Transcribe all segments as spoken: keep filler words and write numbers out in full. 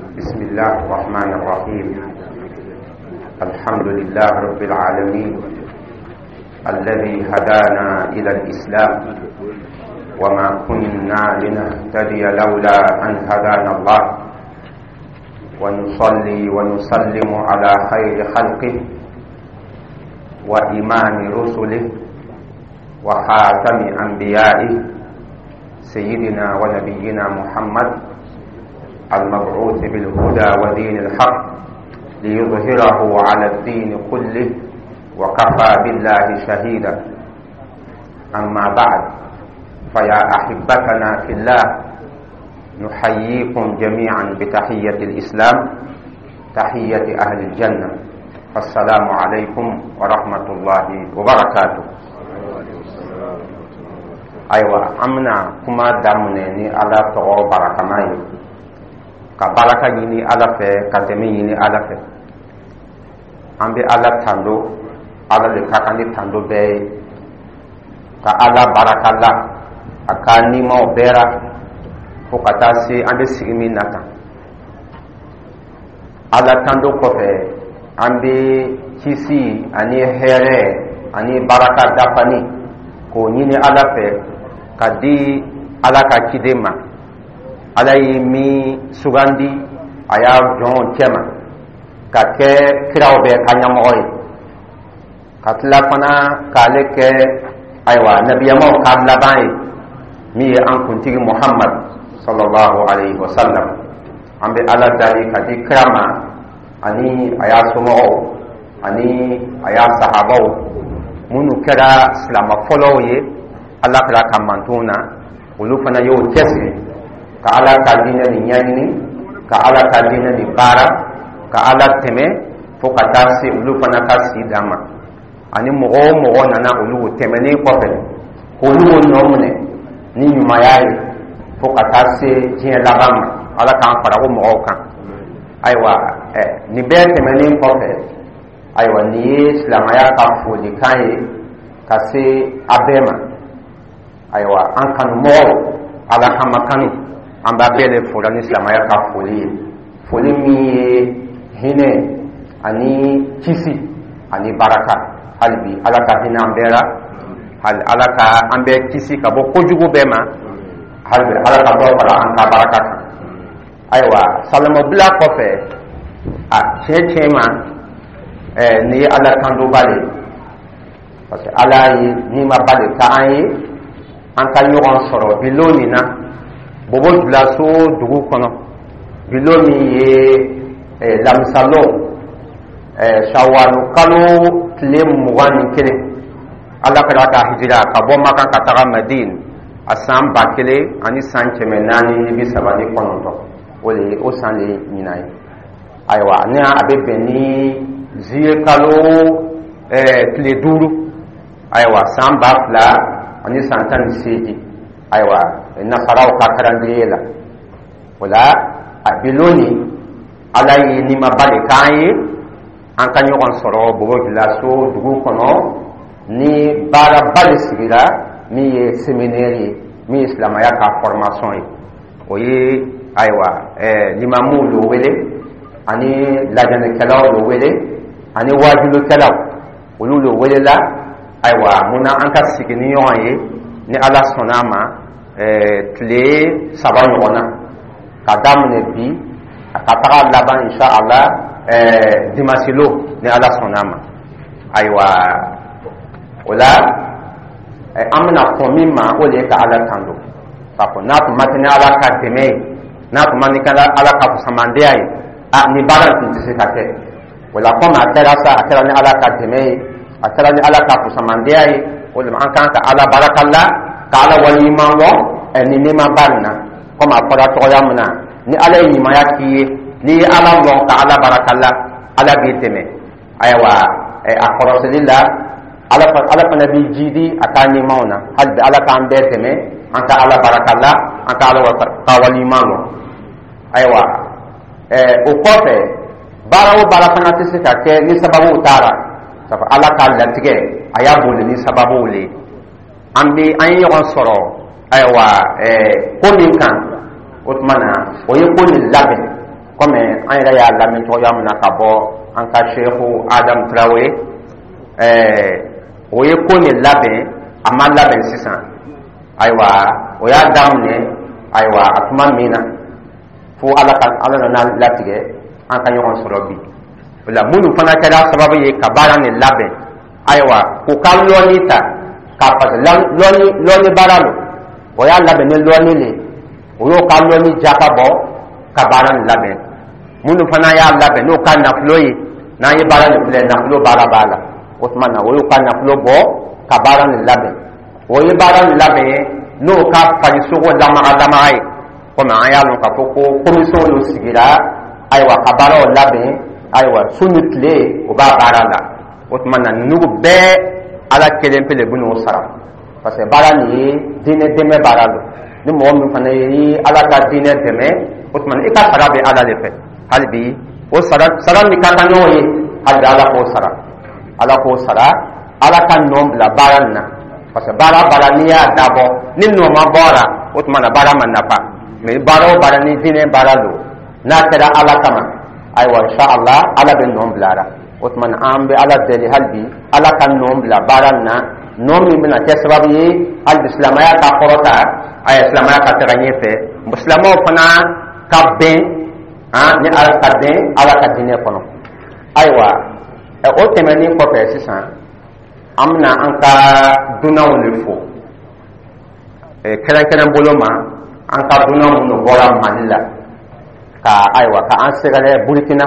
بسم الله الرحمن الرحيم. الحمد لله رب العالمين الذي هدانا إلى الإسلام، وما كنا لنهتدي لولا أن هدانا الله. ونصلي ونسلم على خير خلقه وإمام رسله وخاتم أنبيائه، سيدنا ونبينا محمد المبعوث بالهدى ودين الحق ليظهره على الدين كله، وكفى بالله شهيدا. أما بعد، فيا أحبتنا في الله، نحييكم جميعا بتحية الإسلام، تحية أهل الجنة، فالسلام عليكم ورحمة الله وبركاته. Ayiwa, an bɛna kuma daminɛ ni Ala tɔgɔ barakama ye, ka baraka ɲini Ala fɛ, ka dɛmɛ ɲini Ala fɛ. An bɛ Ala tando, Ala de ka kan ni tando bɛɛ ye, ka Ala baraka la a ka nimaw bɛɛ ra, fo ka taa se an bɛ sigi min na tan. Ala tando kɔfɛ, an bɛ kisi ani hɛrɛ ani baraka dafani k'o ɲini Ala fɛ ka di Ala ka ciden ma, Ala ye min sugandi a y'a jɔnw cɛma ka kɛ kiraw bɛɛ ka ɲɛmɔgɔ ye, ka tila fana k'ale kɛ, ayiwa, nabiyamaw ka laban ye, min ye an kuntigi Muhammad sallallahu alaihi wa sallam. An bɛ Ala dali ka di kira ma ani a y'a somɔgɔw ani a y'a sahabaw, minnu kɛra silama fɔlɔw ye Ala kɛra ka mantonw na, olu fana y'o cɛsiri ka Ala ka diinɛ nin ɲɛɲini, ka Ala ka diinɛ nin baara, ka Ala tɛmɛ fo ka taa se olu fana ka si dan ma, ani mɔgɔ o mɔgɔ nana olu tɛmɛnen kɔfɛ k'olu nɔ minɛ ni ɲumanya ye fo ka taa se diɲɛ laban ma. Ala k'an fara o mɔgɔw kan. Ayiwa, ɛ nin bɛɛ tɛmɛnen kɔfɛ, ayiwa, nin ye silamɛya ka folikan ye ka se a bɛɛ ma. Ayiwa, an kanumɔgɔw, Ala kama kanu, an b'a bɛɛ de fola ni silamɛya ka foli ye, foli min ye hinɛ ani kisi ani baraka. Hali bi, Ala ka hinɛ an bɛɛ la, hali Ala ka an bɛɛ kisi ka bɔ kojugu bɛɛ ma, hali bi Ala ka dɔ fara an ka baraka kan. Ayiwa, salamabila kɔfɛ, a tiɲɛ tiɲɛ ma, ɛɛ nin ye Ala tandoba de ye, parce que Ala ye nimaba de k'an ye an ka ɲɔgɔn sɔrɔ bi lon nin na Bobo Julaso dugu kɔnɔ, bi lon min ye lamisalon, sawalu kalo tile mugan ni kelen, Ala kɛra ka hijira ka bɔ Makan ka taga Madine, a san ba kelen ani san kɛmɛ naani ni bi saba ni kɔnɔntɔn, o de o san de ye ɲinan ye. Ayiwa, ni a bɛ bɛn ni zuye kalo tile duuru, ayiwa, san ba fila ani san tan ni seegin, ayiwa, nasaraw ka calendrier la. O la, a bi lon nin, Ala ye nimaba de k'an ye an ka ɲɔgɔn sɔrɔ Bobo Julaso dugu kɔnɔ, ni baaraba de sigira min ye séminaire ye, min ye silamɛya ka formation ye. O ye, ayiwa, ɛɛ limamuw lo wele, ani lajɛlikɛlaw lo wele, ani wajulukɛlaw, olu lo welela. Ayiwa, mun na an ka sigi ni ɲɔgɔn ye, ni Ala sɔnna a ma, ɛɛ tile saba ɲɔgɔn na, ka daminɛ bi a ka taga laban, insha Allah, ɛɛ dimanche lo, ni Ala sɔnna a ma. Ayiwa, o la, an bɛna kɔn min ma, o de ye ka Ala tando, k'a fɔ n'a tun ma kɛ ni Ala ka dɛmɛ ye, n'a tun ma kɛ Ala ka fusamandiya ye, a nin baara tun tɛ se ka kɛ. O la, komi a kɛra sa, a kɛra ni Ala ka dɛmɛ ye, a kɛra ni Ala ka fusamandiya ye, o de la an kan ka Ala baraka la, ka Ala waleɲuman lɔn ɛ nin nɛɛmaba nin na. Komi a fɔra cogoya min na, ni Ala ye ɲumanya k'i ye, n'i ye Ala lɔn ka Ala baraka la, Ala b'i dɛmɛ. Ayiwa, a kɔrɔsili la, ala ala fana b'i jidi a ka ɲɛmaw na. Hali bi, Ala k'an bɛɛ dɛmɛ an ka Ala baraka la, an ka Ala ka waleɲuman lɔn. Ayiwa, ɛɛ o kɔfɛ, baara o baara fana tɛ se ka kɛ ni sababuw taara, sabu Ala k'a latigɛ, a y'a boli ni sababuw le ye. An bɛ an ye ɲɔgɔn sɔrɔ, ayiwa, ɛɛ ko min kan, o tuma na, o ye ko nin labɛn. Komi Komi an yɛrɛ y'a lamɛn cogoya min na ka bɔ an ka Seku Adam Tarawele, ɛɛ o ye ko nin labɛn. A ma labɛn sisan, ayiwa, o y'a daminɛ, ayiwa, a tuma min na fo Ala ka Ala nana latigɛ an ka ɲɔgɔn sɔrɔ bi. O la, minnu fana kɛra sababu ye ka baara nin labɛn, ayiwa, k'u ka lɔnni ta k'a, parce que lɔnni lɔnni baara lo, o y'a labɛn ni lɔnni le, o y'o ka lɔnni jaka bɔ ka baara nin labɛn. Minnu fana y'a labɛn n'o ka nafolo ye, n'an ye baara nin filɛ, nafolo baara b'a la. O tuma na, o y'o ka nafolo bɔ ka baara nin labɛn. O ye baara nin labɛn n'o ka farisogo lamaga lamaga ye, komi an y'a lɔn k'a fɔ ko commission dɔ sigira, ayiwa, ka baaraw labɛn, ayiwa, su ni tile o b'a baara la. O tuma na, ninnu bɛɛ, Ala kelen pe le bɛ n'o sara, parce que baara nin ye diinɛ dɛmɛ baara don. Ni mɔgɔ min fana ye Ala ka diinɛ dɛmɛ, o tuma na i ka sara bɛ Ala de fɛ. Hali bi, o sara sara min ka kan ɲɔgɔn ye, hali bi Ala k'o sara, Ala k'o sara, Ala ka nɔ bila baara nin na, parce que baara baara n'i y'a dabɔ ni nɔ ma bɔ a la, o tuma na baara ma nafa. Mais baara o baara ni diinɛ baara don, n'a kɛra Ala kama, ayiwa, inshallah, Ala bɛ nɔ bila a la. O tuma na, an bɛ Ala deli hali bi, Ala ka nɔ bila baara nin na, nɔ min bɛna kɛ sababu ye hali bi silamɛya ka kɔrɔta, ayiwa, silamɛya ka taga ɲɛfɛ, silamɛw fana ka bɛn ni Ala ka bɛn Ala ka diinɛ kɔnɔ. Ayiwa, o tɛmɛnen kɔfɛ, sisan an bɛna an ka dunanw de fo kɛrɛnkɛrɛn bolo ma, an ka dunan minnu bɔra Mali la ka, ayiwa, ka an sɛgɛrɛ Burukina.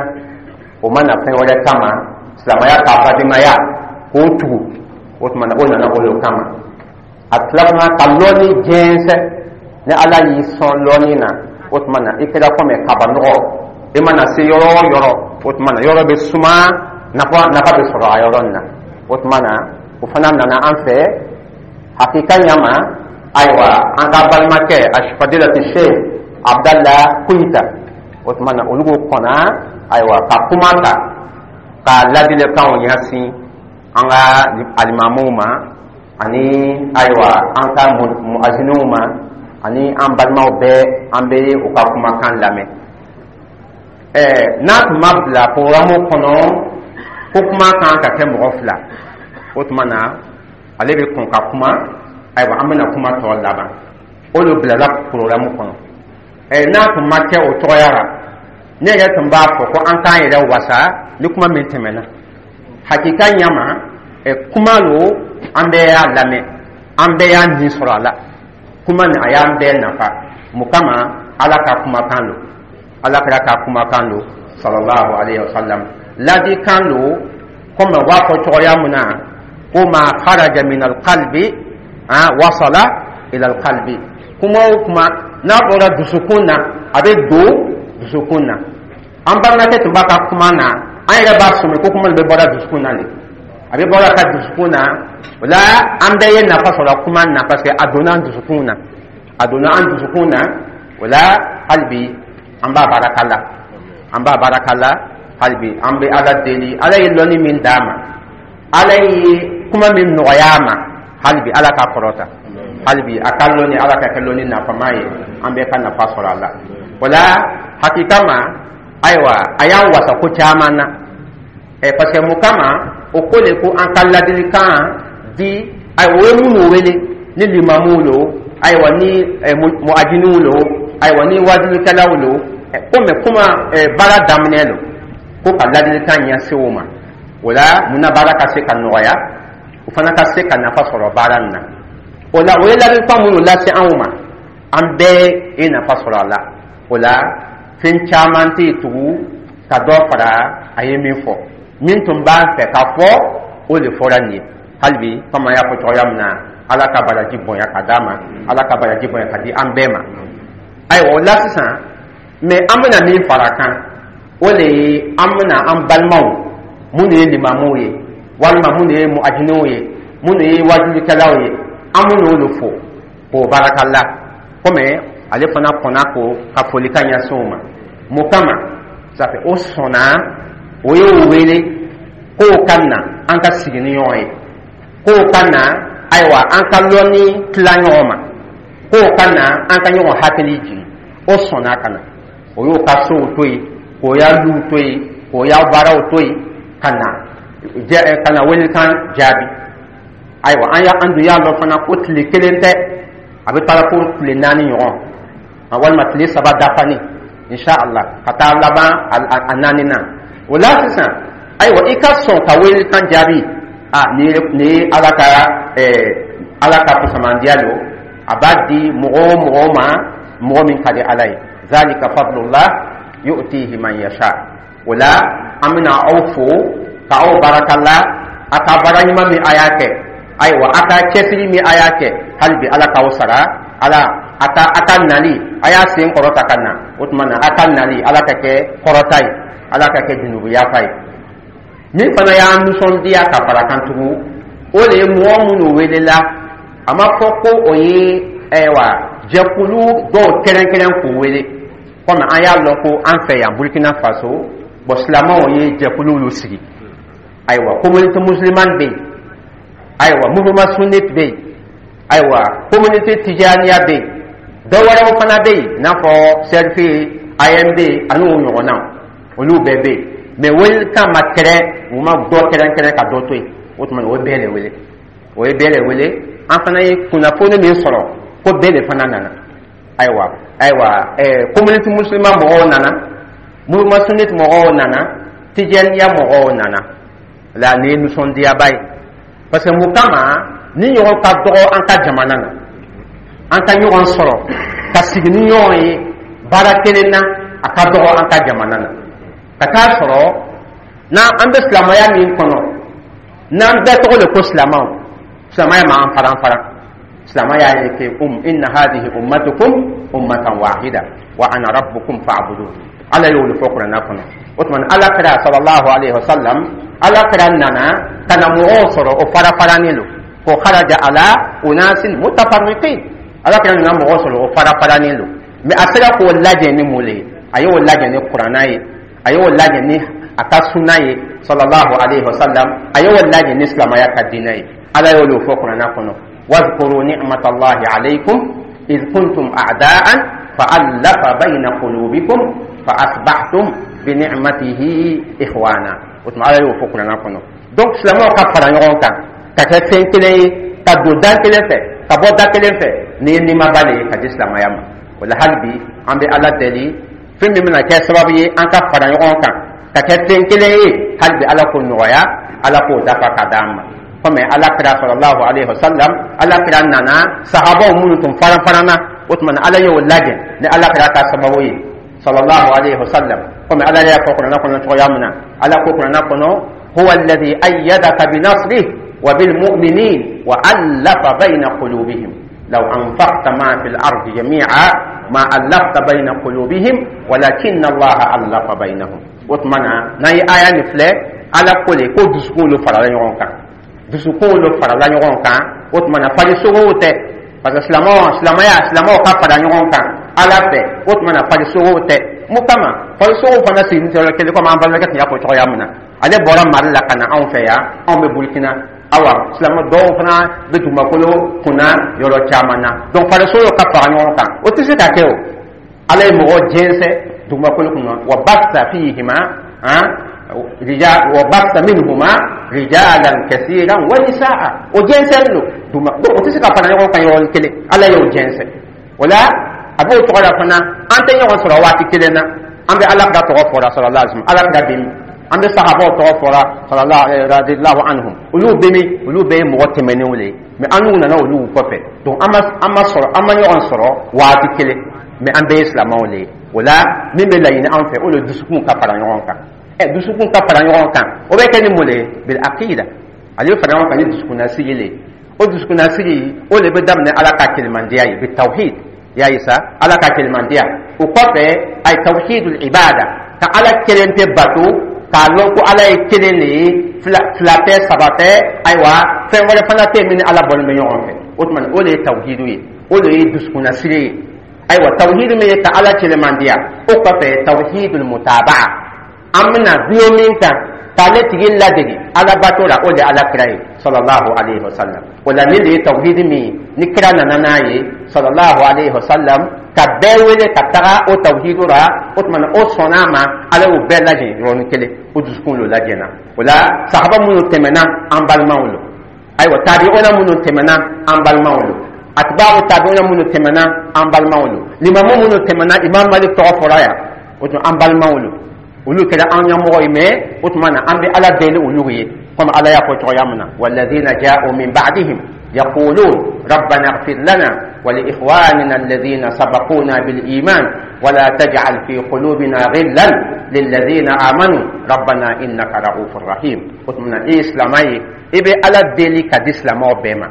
O ma na fɛn wɛrɛ kama, silamɛya ka badenmaya k'o tugu. O tuma na, o nana o de kama. A tila fana ka lɔnni jɛnsɛn. Ni Ala y'i sɔn lɔnni na, o tuma na i kɛra komi kabanɔgɔ. I mana se yɔrɔ o yɔrɔ, o tuma na yɔrɔ bɛ suma, nafa nafa bɛ sɔrɔ a yɔrɔ nin na. O tuma na, o fana nana an fɛ hakika ɲama. Ayiwa, an ka balimakɛ Asifadilati Sheikh Abdallah Kuyita, o tuma na olu ko kɔnna, ayiwa, ka kuma ta ka ladilikanw ɲɛsin an ka alimamuw ma, ani ayiwa, an ka muaziniw ma, ani an balimaw bɛɛ. An bɛ u ka kumakan lamɛn. Ɛɛ n'a tun ma bila programme kɔnɔ ko kuma kan ka kɛ mɔgɔ fila, o tuma na ale bɛ kɔn ka kuma. Ayiwa, an bɛna kuma tɔ laban, o de bilala programme kɔnɔ. Ɛɛ n'a tun ma kɛ o cogoya la, ne yɛrɛ tun b'a fɔ ko an k'an yɛrɛ wasa ni kuma min tɛmɛna. Hakika ɲama, ɛ kuma lo, an bɛɛ y'a lamɛn, an bɛɛ y'a nin sɔrɔ a la. Kuma nin, a y'an bɛɛ nafa. Mun kama? Ala ka kumakan lo, Ala kɛra ka kumakan lo, sallallahu alayhi wa sallam, ladikan lo. Komi u b'a fɔ cogoya min na ko ma kharaja min alqalbi wasala ila alqalbi, kuma o kuma n'a bɔra dusukun na, a bɛ don dusukun na. An balimakɛ tun b'a ka kuma na, an yɛrɛ b'a sɔmi ko kuma nin bɛ bɔra dusukun na de, a bɛ bɔra ka dusukun na. O la, an bɛɛ ye nafa sɔrɔ kuma na, parce que a donna an dusukun na, a donna an dusukun na. O la, hali bi an b'a baraka la, an b'a baraka la. Hali bi an bɛ Ala deli, Ala ye lɔnni min d'a ma, Ala ye kuma min nɔgɔya a ma, hali bi Ala k'a kɔrɔta, hali bi a ka lɔnni, Ala ka kɛ lɔnni nafama ye, an bɛɛ ka nafa sɔrɔ a la. O la, hakika ma, ayiwa, a y'an wasa ko caman na, ɛ parce que mun kama o ko le ko an ka ladilikan di. Ayiwa, o ye minnu wele, ni limamuw lo, ayiwa, ni muajiniw lo, ayiwa, ni wajulikɛlaw lo, komi kuma baara daminɛ lo, ko ka ladilikan ɲɛsin o ma. O la, munna baara ka se ka nɔgɔya, o fana ka se ka nafa sɔrɔ baara nin na. O la, o ye ladilikan minnu lase anw ma, an bɛɛ ye nafa sɔrɔ a la. O la, fɛn caman tɛ yen tugun ka dɔ fara a ye min fɔ. Min tun b'a fɛ ka fɔ, o de fɔra nin ye. Hali bi, komi an y'a fɔ cogoya min na, Ala ka baraji bonya ka d'a ma, Ala ka baraji bonya ka di an bɛɛ ma. Ayiwa, o la sisan, mɛ an bɛna min fara a kan, o de ye an bɛna an balimaw minnu ye limamuw ye, walima minnu ye muajiniw ye, minnu ye wajulikɛlaw ye, an bɛn'olu fo k'o baraka la, komi ale fana kɔnna ko ka folikan ɲɛsin o ma. Mun kama? Safe o sɔnna, o y'o wele k'o ka na an ka sigi ni ɲɔgɔn ye, k'o ka na, ayiwa, an ka lɔnni tila ɲɔgɔn ma, k'o ka na an ka ɲɔgɔn hakili jigin. O sɔnna ka na, o y'o ka sow to yen. K'o y'a luw to yen, k'o y'a baaraw to yen, ka na ka na welekan jaabi. Ayiwa, an y'a an dun y'a lɔn fana ko tile kelen tɛ, a bɛ taa fo tile naani ɲɔgɔn walima tile saba dafani, inshallah, ka taa laban a naani na. O la sisan, ayiwa, i ka sɔn ka welekan jaabi, a nin ye nin ye Ala ka ɛɛ Ala ka fusamandiya don. A b'a di mɔgɔ o mɔgɔ ma, mɔgɔ min ka di Ala ye. Zalika fadlullah yu'tihi man yasha. O la an bɛna aw fo ka aw barakala a ka baara ɲuman min a y'a kɛ. Ayiwa, a ka cɛsiri min a y'a kɛ, hali bi Ala k'aw sara. Ala a ka a ka nali, a y'a sen kɔrɔta ka na, o tuma na a ka nali, Ala ka kɛ kɔrɔta ye, Ala ka kɛ junubu yafa ye. Min fana y'an nisɔndiya ka fara kan tugun, o de ye mɔgɔ minnu welela, a ma fɔ ko o ye, ayiwa, jɛkulu dɔw kɛrɛnkɛrɛn k'u wele. Komi an y'a lɔn ko an fɛ yan Burkina Faso, bɔn, silamɛw ye jɛkuluw sigi. Ayiwa, communauté musulmane bɛ yen, ayiwa, mouvement sunnite bɛ yen, ayiwa, communauté tijaniya bɛ yen, dɔ wɛrɛw fana bɛ yen, i n'a fɔ C R F, A M D ani o ɲɔgɔnnaw, olu bɛɛ bɛ yen. Mɛ welekan ma kɛrɛn, u ma dɔ kɛrɛnkɛrɛn ka dɔ to yen. O tuma o ye bɛɛ de wele, o ye bɛɛ de wele. An fana ye kunnafoni min sɔrɔ ko bɛɛ de fana nana. Ayiwa, ayiwa, ɛɛ communauté musulman mɔgɔw nana, mouvement sunnite mɔgɔw nana, tijaniya mɔgɔw nana. La nin ye nisɔndiyaba ye, parce que mun kama ni ɲɔgɔn ka dɔgɔ an ka jamana na, an ka ɲɔgɔn sɔrɔ ka sigi ni ɲɔgɔn ye baara kelen na, a ka dɔgɔ an ka jamana na. Ka taa sɔrɔ n'an an bɛ silamɛya min kɔnɔ, n'an bɛɛ tɔgɔ de ko silamɛw, silamɛya ma an faran faran. Silamɛya ye ke um inna hadhihi ummatukum ummatan wahida wa ana rabbukum fa'budun. Ala y'o de fɔ Kuranɛ kɔnɔ. O tuma Ala kira sallallahu alaihi wasallam, Ala kira nana ka na mɔgɔw sɔrɔ o fara faranin don, ko kharaja ala unasin mutafarriqin. Ala kira nana mɔgɔw sɔrɔ o fara faranin don, mɛ a sera k'o lajɛ ni mun le ye? A y'o lajɛ ni Kuranɛ ye, a y'o lajɛ ni a ka sunna ye sallallahu alaihi wasallam, a y'o lajɛ ni silamɛya ka diinɛ ye. Ala y'o de fɔ Kuranɛ kɔnɔ: wadhkuru ni'matallahi alaykum idh kuntum a'da'an fa'alafa bayna qulubikum fa asbahtum bi ni'matihi ikhwana. O tuma Ala y'o fɔ Kuranɛ kɔnɔ. Donc silamɛw ka fara ɲɔgɔn kan ka kɛ fɛn kelen ye, ka don da kelen fɛ, ka bɔ da kelen fɛ, nin ye nimaba de ye ka di silamɛya ma. O la hali bi an bɛ Ala deli, fɛn min bɛna kɛ sababu ye an ka fara ɲɔgɔn kan ka kɛ fɛn kelen ye, hali bi Ala k'o nɔgɔya, Ala k'o dafa ka d'an ma. Komi Ala kira sallallahu alaihi wasallam, Ala kira nana sahabaw minnu tun faran faranna, o tuma na Ala y'o lajɛ ni Ala kira ka sababu ye sallallahu alaihi wasallam. Komi Ala y'a fɔ Kuranɛ kɔnɔ cogoya min na, Ala ko Kuranɛ kɔnɔ: huwa alladhi ayyadaka bi nasrihi wa bil mu'minin wa allafa bayna qulubihim law anfaqta ma fil ardi jami'a ma allafta bayna qulubihim walakinna Allaha allafa baynahum. O tuma na n'an ye aya nin filɛ, Ala ko le ko dusukunw lo farala ɲɔgɔn kan, dusukunw lo farala ɲɔgɔn kan. O tuma na farisogow tɛ, parce que silamɛw, silamɛya, silamɛw ka fara ɲɔgɔn kan Ala fɛ, o tuma na farisogow tɛ. Mun kama farisogow fana sigilen tɛ yɔrɔ kelen? Komi an balimakɛ tun y'a fɔ cogoya min na, ale bɔra Mali la ka na anw fɛ yan, anw bɛ Burukina. Awa, silamɛ dɔw fana bɛ dugumakolo kunna yɔrɔ caman na. Donc farisogow ka fara ɲɔgɔn kan, o tɛ se ka kɛ. O Ala ye mɔgɔ jɛnsɛn dugumakolo kunna, wa basta fihima han rijal wa basta minhuma rijalan kasiran wa nisaa. O jɛnsɛn don duguma, donc o tɛ se ka fara ɲɔgɔn kan yɔrɔnin kelen. Ala y'o jɛnsɛn. O la a b'o tɔgɔ la fana, an tɛ ɲɔgɔn sɔrɔ waati kelen na. An bɛ Ala ka tɔgɔ fɔra sallallahu alaihi wasallam, Ala ka bɛ min? An bɛ sahabaw tɔgɔ fɔra sallallahu radiyallahu anhum, olu bɛ min? Olu bɛɛ ye mɔgɔ tɛmɛnenw le ye, mɛ an n'u nana olu kɔfɛ. Donc an ma an ma sɔrɔ, an ma ɲɔgɔn sɔrɔ waati kelen, mɛ an bɛɛ ye silamɛw le ye. O la min bɛ laɲini an fɛ, o de dusukun ka fara ɲɔgɔn kan. Ɛ, dusukun ka fara ɲɔgɔn kan, o bɛ kɛ ni mun de ye? Bil aqida. Ale bɛ fara ɲɔgɔn kan ni dusukunnasigi le ye. O dusukunnasigi, o de bɛ daminɛ Ala ka kelimandiya ye, bi tawhid ya ye sa, Ala ka kelimandiya. O kɔfɛ a ye tawhidul ibada, ka Ala kelen tɛ bato, k'a lɔn ko Ala ye kelen de ye, fila fila tɛ, saba tɛ. Ayiwa, fɛn wɛrɛ fana tɛ yen min ni Ala bɔlen bɛ ɲɔgɔn fɛ. O tuma o de ye tawhidu ye, o de ye dusukunnasiri ye. Ayiwa, tawhidu min ye ka Ala kelemandiya, o kɔfɛ tawhidul mutabaa, an bɛna dulon min kan k'ale tigi ladege. Ala bato la, o de Ala kira ye sallallahu alaihi wasallam. O la, ni le ye tawhidi min ni kira nana n'a ye sallallahu alaihi wasallam, ka bɛɛ wele ka taga o tawhidu la, o tuma na o sɔnna a ma. Ala y'o bɛɛ lajɛ yɔrɔnin kelen, o dusukun lo lajɛna. O la, sahaba minnu tɛmɛna, an balimaw lo. Ayiwa, tabi'una minnu tɛmɛna, an balimaw lo. Atba'u tabi'una minnu tɛmɛna, an balimaw lo. Limamu minnu tɛmɛna, Imam Malik tɔgɔ fɔra yan, o tuma an balimaw lo, olu kɛra an ɲɛmɔgɔ ye. Mais o tuma na, an bɛ Ala deli olu ye, komi Ala y'a fɔ cogoya min na: walladhina ja'u min ba'dihim yaqulun rabbana ighfir lana wa li ikhwanina alladhina sabaquna bil iman wa la taj'al fi qulubina ghillan lilladhina amanu rabbana innaka ra'ufur rahim. O tuma na, i ye silamɛ ye, i bɛ Ala deli ka di silamɛw bɛɛ ma,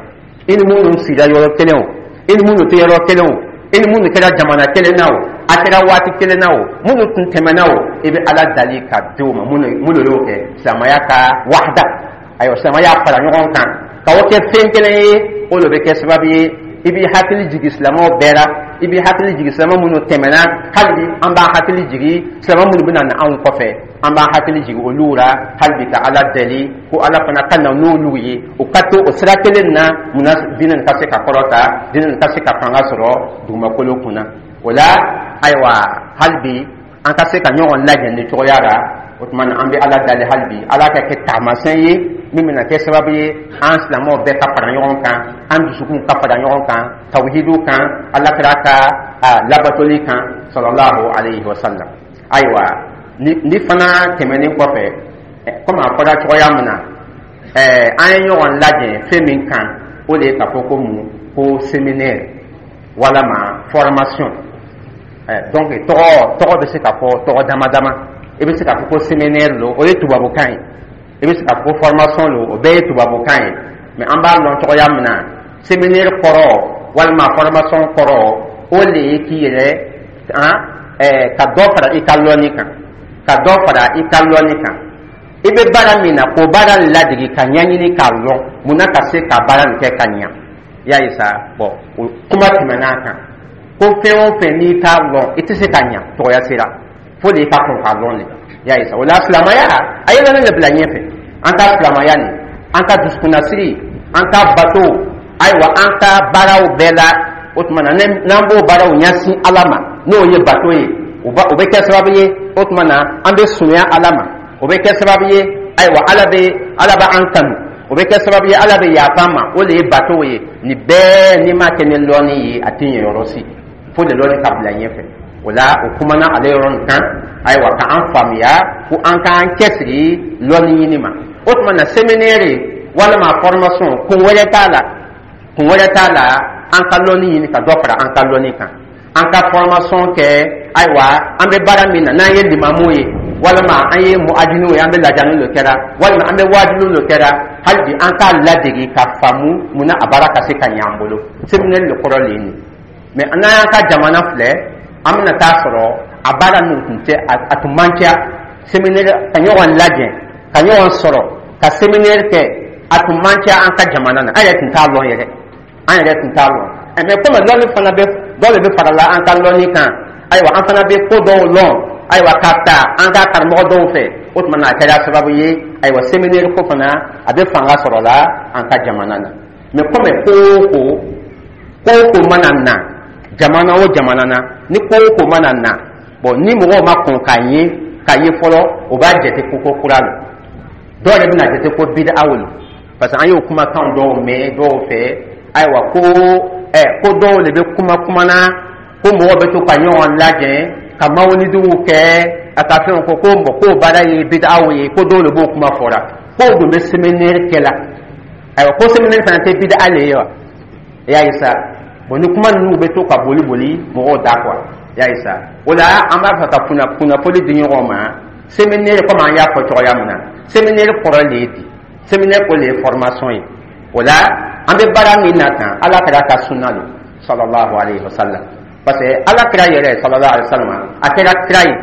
i ni minnu sigira yɔrɔ kelen o, i ni minnu tɛ yɔrɔ kelen o, i ni minnu kɛra jamana kelen na o, a kɛra waati kelen na o, minnu tun tɛmɛna o, i bɛ Ala dali ka di o ma. Minnu minnu y'o kɛ silamɛya ka wahda, ayiwa, silamɛya fara ɲɔgɔn kan ka o kɛ fɛn kelen ye, o de bɛ kɛ sababu ye i b'i hakili jigin silamɛw bɛɛ la, i b'i hakili jigin silamɛ minnu tɛmɛna. Hali bi an b'a hakili jigin silamɛ minnu bɛna na anw kɔfɛ, an b'a hakili jigin olu la. Hali bi ka Ala deli ko Ala fana ka na n'olu ye, u ka to o sira kelen na. Munna diinɛ ka se ka kɔrɔta, diinɛ ka se ka fanga sɔrɔ dugumakolo kunna? O la, ayiwa, hali bi an ka se ka ɲɔgɔn lajɛ ni cogoya la. O tuma na, an bɛ Ala dali hali bi, Ala ka kɛ taamasiyɛn ye min bɛna kɛ sababu ye an silamɛw bɛɛ ka fara ɲɔgɔn kan, an dusukun ka fara ɲɔgɔn kan tawhidu kan, Ala kira ka labatoli kan sallallahu alayhi wa sallam. Ayiwa, ni ni fana tɛmɛnen kɔfɛ, komi a fɔra cogoya min na, ɛɛ an ye ɲɔgɔn lajɛ fɛn min kan, o de ye k'a fɔ ko mun ko séminaire walama formation. ɛɛ donc tɔgɔ tɔgɔ bɛ se ka fɔ tɔgɔ dama dama. I bɛ se k'a fɔ ko séminaire lo, o ye tubabukan ye. I bɛ se k'a fɔ ko formation lo, o bɛɛ ye tubabukan ye. Mais an b'a lɔn cogoya min na, séminaire kɔrɔ walima formation kɔrɔ, o de ye k'i yɛrɛ han ɛɛ ka dɔ fara i ka lɔnni kan, ka dɔ fara i ka lɔnni kan. I bɛ baara min na, k'o baara ladege, ka ɲɛɲini k'a lɔn munna ka se ka baara nin kɛ ka ɲa. I y'a ye sa, bɔn, o kuma tɛmɛn'a kan ko fɛn o fɛn n'i t'a lɔn, i tɛ se ka ɲa tɔgɔya sera fo de i ka kɔn k'a lɔn de. I y'a ye sa, o la silamɛya a ye lɔnni de bila ɲɛfɛ. An ka silamɛya nin, an ka dusukunnasiri, an ka bato, ayiwa, an ka baaraw bɛɛ la, o tuma na n'an b'o baaraw ɲɛsin Ala ma, n'o ye bato ye, o bɛ kɛ sababu ye, o tuma na an bɛ surunya Ala ma. O bɛ kɛ sababu ye, ayiwa, Ala bɛ Ala bɛ an kanu. O bɛ kɛ sababu ye Ala bɛ yafa an ma. O de ye bato ye. Nin bɛɛ, n'i m'a kɛ ni lɔnni ye, a tɛ ɲɛ yɔrɔ si, fo de lɔnni ka bila ɲɛfɛ. O la, o kumana ale yɔrɔ nin kan, ayiwa, ka an faamuya ko an k'an cɛsiri lɔnni ɲini ma. O tuma na, séminaire walima formation, kun wɛrɛ t'a la, kun wɛrɛ t'a la, an ka lɔnni ɲini, ka dɔ fara an ka lɔnni kan, an ka formation kɛ. Ayiwa, an bɛ baara min na, n'an ye limamu ye walima an ye muadiniw ye, an bɛ lajani dɔ kɛra walima an bɛ waajuli dɔ kɛra, hali bi an k'a ladege ka faamu munna a baara ka se ka ɲɛ an bolo. Séminaire de kɔrɔ le ye nin. Mais n'an y'an ka jamana filɛ, an bɛna taa sɔrɔ a baara ninnu tun tɛ, a tun man ca. Séminaire, ka ɲɔgɔn lajɛ, ka ɲɔgɔn sɔrɔ ka séminaire kɛ, a tun man ca an ka jamana na. An yɛrɛ tun t'a lɔn yɛrɛ, an yɛrɛ tun t'a lɔn. Mais komi lɔnni fana bɛ, dɔw de bɛ farala an ka lɔnni kan, ayiwa, an fana bɛ ko dɔw lɔn, ayiwa, ka ta an ka karamɔgɔ dɔw fɛ, o tuma na a kɛra sababu ye, ayiwa, séminaire ko fana a bɛ fanga sɔrɔ la an ka jamana na. Mais komi ko o ko ko o ko mana na jamana o jamana na, ni ko o ko mana na, bon, ni mɔgɔw ma kɔn k'a ye k'a ye fɔlɔ, o b'a jate ko ko kura lo. Dɔw yɛrɛ bɛna jate ko bid'a lo, parce que an y'o kumakan dɔw mɛn dɔw fɛ. Ayiwa, ko ɛ ko dɔw de bɛ kuma kuma na ko mɔgɔw bɛ to ka ɲɔgɔn lajɛ ka mawulidiw kɛ, a ka fɛnw ko ko bɔn, k'o baara ye bid'aw ye, ko dɔw de b'o kuma fɔra, k'o dun bɛ séminaire kɛ la. Ayiwa, ko séminaire fana tɛ bid'a le ye wa? I y'a ye sa, bon, ni kuma ninnu bɛ to ka boli boli mɔgɔw da quoi. I y'a ye sa, o la an b'a fɛ ka kunna kunnafoni di ɲɔgɔn ma. Séminaire, komi an y'a fɔ cogoya min na, séminaire kɔrɔ le ye di, séminaire ko le ye formation ye. O la, an bɛ baara min na tan, Ala kɛra ka sunna lo sallallahu alayhi wa sallam, parce que Ala kira yɛrɛ sallallahu alayhi wa sallam, a kɛra kira ye,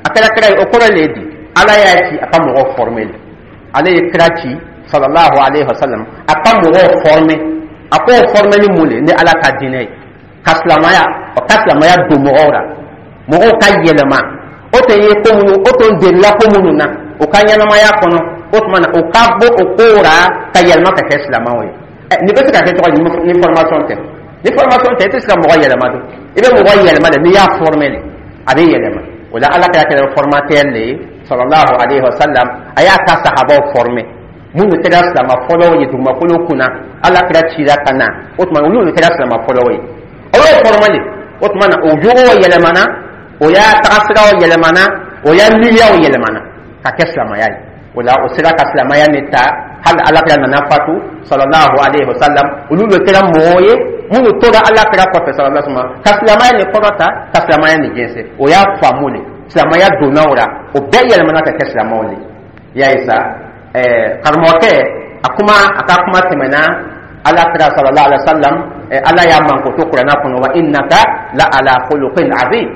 a kɛra kira ye, o kɔrɔ le ye di, Ala y'a ci a ka mɔgɔw former le. Ale ye kira ci sallallahu alayhi wa sallam a ka mɔgɔw former. A k'o former ni mun le? Ni Ala ka diinɛ ye, ka silamɛya, o ka silamɛya don mɔgɔw la, mɔgɔw ka yɛlɛma. O tɛ ye ko minnu, o tun delila ko minnu na o ka ɲɛnamaya kɔnɔ. O tuma na, o ka bɔ o kow ra ka yɛlɛma ka kɛ silamɛw ye. Ɛ, nin bɛ se ka kɛ cogo di ni formation tɛ? Ni formation tɛ, i tɛ se ka mɔgɔ yɛlɛma don. I bɛ mɔgɔ yɛlɛma de, n'i y'a former de, a bɛ yɛlɛma. O la, Ala kɛra kɛra formateur le ye, sallallahu alaihi wa sallam. A y'a ka sahabaw former, minnu kɛra silama fɔlɔw ye dugumakolo kunna. Ala kɛra cira ka na, o tuma olu kɛra silama fɔlɔw ye, o y'o former de. O tuma na, o jogow yɛlɛmana, o y'a tagasiraw yɛlɛmana, o y'a miiriyaw yɛlɛmana ka kɛ silamaya ye. O la, o sera ka silamaya nin ta hali Ala kira nana fatu, sallallahu alaihi wa sallam. Olu de kɛra mɔgɔw ye minnu tora Ala kira kɔfɛ, sallallahu alaihi wa sallam, ka silamaya nin kɔrɔta, ka silamaya nin jɛnsɛn. O y'a faamu de, silamaya donna o la, o bɛɛ yɛlɛmana ka kɛ silamɛw de. I y'a ye sa, ɛɛ, karamɔgɔkɛ a kuma, a ka kuma tɛmɛna. Ala kira sallallahu alaihi wa sallam, Ala y'a mankoto Kuranna kɔnɔ: wa innaka la ala khuluqin azim.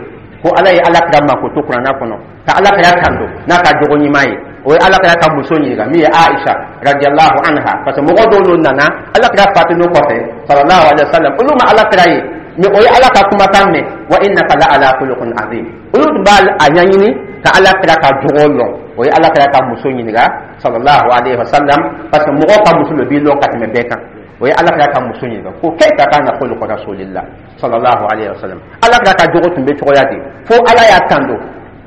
Ko Ala ye Ala kira mankoto Kuranna kɔnɔ, ka Ala kira tando n'a ka jogo ɲuman ye. O ye Ala kira ka muso ɲininka min ye Aisha radiyallahu anha, parce que mɔgɔ dɔw n'o nana Ala kira fatunu kɔfɛ, sallallahu alaihi wa sallam, olu ma Ala kira ye, mais o ye Ala ka kumakan mɛn: wa innaka la ala khuluqin azim. Olu tun b'a a ɲɛɲini ka Ala kira ka jogo lɔn. O ye Ala kira ka muso ɲininka, sallallahu alaihi wa sallam, parce que mɔgɔw ka muso de b'i lɔn ka tɛmɛ bɛɛ kan. O ye Ala kira ka muso ɲininka ko: kayfa kana khuluqu rasulillah, sallallahu alaihi wa sallam? Ala kira ka jogo tun bɛ cogoya di, fo Ala y'a tando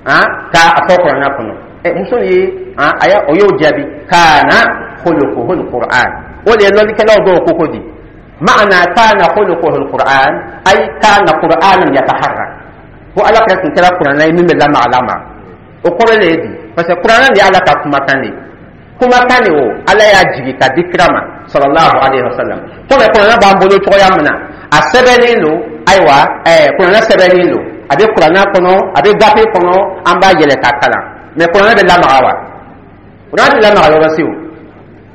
han k'a fɔ Kuranɛ kɔnɔ? Ɛ, muso ye han, a y'a o y'o jaabi: kana khuluquhu alquran. O de ye lɔnnikɛlaw dɔw ko ko di maana kana khuluquhu alquran, ay kana qur'anan yataharrak. Ko Ala kira tun kɛra Kuranɛ ye min bɛ lamaga lamaga. O kɔrɔ le ye di? Parce que Kuranɛ de ye Ala ka kumakan de ye, kumakan de o Ala y'a jigi ka di kira ma, sallallahu alaihi wa sallam. Komi Kuranɛ b'an bolo cogoya min na, a sɛbɛnnen don. Ayiwa, ɛɛ, Kuranɛ sɛbɛnnen don, a bɛ Kuranɛ kɔnɔ, a bɛ gafe kɔnɔ, an b'a yɛlɛ k'a kalan. Mais Kuranɛ bɛ lamaga wa? Kuranɛ tɛ lamaga yɔrɔ si. O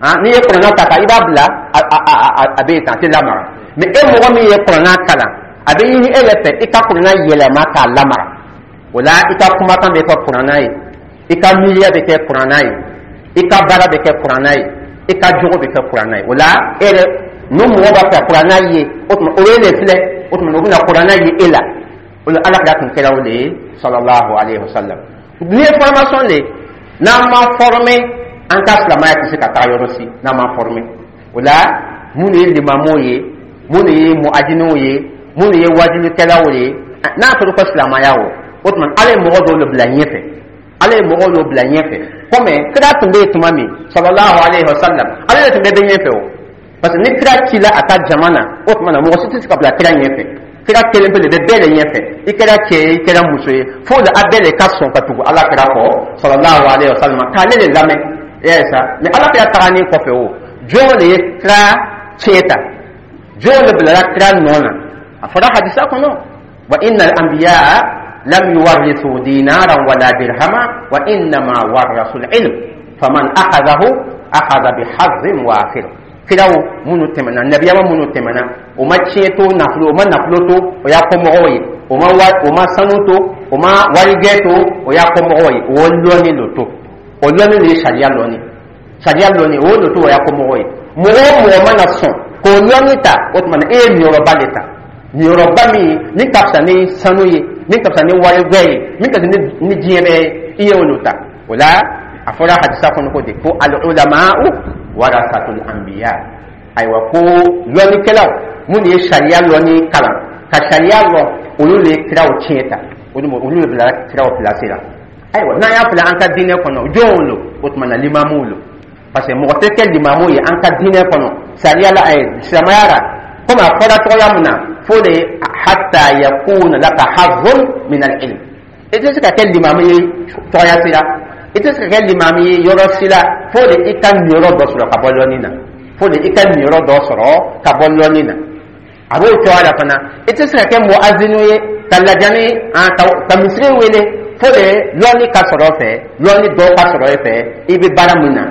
han, n'i ye Kuranɛ ta ka i b'a bila, a a a a bɛ yen tan, a tɛ lamaga. Mais e mɔgɔ min ye Kuranɛ kalan, a bɛ ɲini e yɛrɛ fɛ i ka Kuranɛ yɛlɛma k'a lamaga. O la, i ka kumakan bɛ kɛ Kuranɛ ye, i ka miiriya bɛ kɛ Kuranɛ ye, i ka baara bɛ kɛ Kuranɛ ye, i ka jogo bɛ kɛ Kuranɛ ye. O la, e yɛrɛ n'o mɔgɔ b'a fɛ Kuranɛ ye, o tuma o ye de filɛ, o tuma o bɛna Kuranɛ ye e la. O la, Ala kira tun kɛra o de ye, sallallahu alaihi wa sallam. N'i ye formation de, n'an ma former, an ka silamɛya tɛ se ka taga yɔrɔ si n'an ma former. O la, minnu ye limamuw ye, minnu ye muadiniw ye, minnu ye wajulikɛlaw ye, n'a fɔra ko silamɛya, o o tuma Ala ye mɔgɔ dɔw de bila ɲɛfɛ, Ala ye mɔgɔw dɔw bila ɲɛfɛ. Komi kira tun bɛ yen tuma min, sallallahu alaihi wa sallam, ale de tun bɛ bɛ ɲɛfɛ o, parce que ni kira cila a ka jama na, o tuma na mɔgɔ si tɛ se ka bila kira ɲɛfɛ. Kira kelen pe de bɛ bɛɛ de ɲɛfɛ. I kɛra cɛ ye, i kɛra muso ye, fo de a bɛɛ de ka sɔn ka tugu Ala kira kɔ, sallallahu alaihi wa sallam, k'ale de lamɛn. I y'a ye sa, mais Ala kira tagalen kɔfɛ, o jɔn de ye kira tiɲɛ ta? Jɔn de bilara kira nɔ na? A fɔra hadisa kɔnɔ: wa innal anbiya lam yuwarrithu dinaran wala dirhama wa innama warrasu al-ilm, faman akhadhahu akhadha bihadhin wafir. Kiraw minnu tɛmɛna, nabiyama minnu tɛmɛna, o ma tiɲɛ to nafolo, o ma nafolo to o y'a kɔ mɔgɔw ye, o ma wa, o ma sanu to, o ma warijɛ to o y'a kɔ mɔgɔw ye. O lɔnni lo to, o lɔnni de ye sariya lɔnni, sariya lɔnni o lo to o y'a kɔ mɔgɔw ye. Mɔgɔ o mɔgɔ mana sɔn k'o lɔnni ta, o tuma na e ye niyɔrɔba de ta, niyɔrɔba min min ka fisa ni sanu ye, min ka fisa ni warijɛ ye, min ka fisa ni ni diɲɛ bɛɛ ye, i ye o lo ta. O la, a fɔra hadisa kɔnɔ ko de ko al ulama'u warasatul anbiya. Ayiwa, ko lɔnnikɛlaw minnu ye sariya lɔnni kalan ka sariya lɔn, olu de ye kiraw tiɲɛ ta, olu olu de bila kiraw place la. Ayiwa, n'an y'a filɛ an ka diinɛ kɔnɔ, jɔnw lo? O tuma na, limamuw lo, parce que mɔgɔ tɛ kɛ limamu ye an ka diinɛ kɔnɔ, sariya la, ɛ, silamɛya la, komi a fɔra cogoya min na, fo de hatta yakuna laka hazzun min al-ilm. I tɛ se ka kɛ limamu ye cogoya si la, i tɛ se ka kɛ limamu ye yɔrɔ si la, fo de i ka niyɔrɔ dɔ sɔrɔ ka bɔ lɔnni na, fo de i ka niyɔrɔ dɔ sɔrɔ ka bɔ lɔnni na. A b'o cogoya la fana, i tɛ se ka kɛ muazinu ye ka lajani ka ka misiri wele, fo de lɔnni ka sɔrɔ fɛ, lɔnni dɔ ka sɔrɔ e fɛ i bɛ baara min na.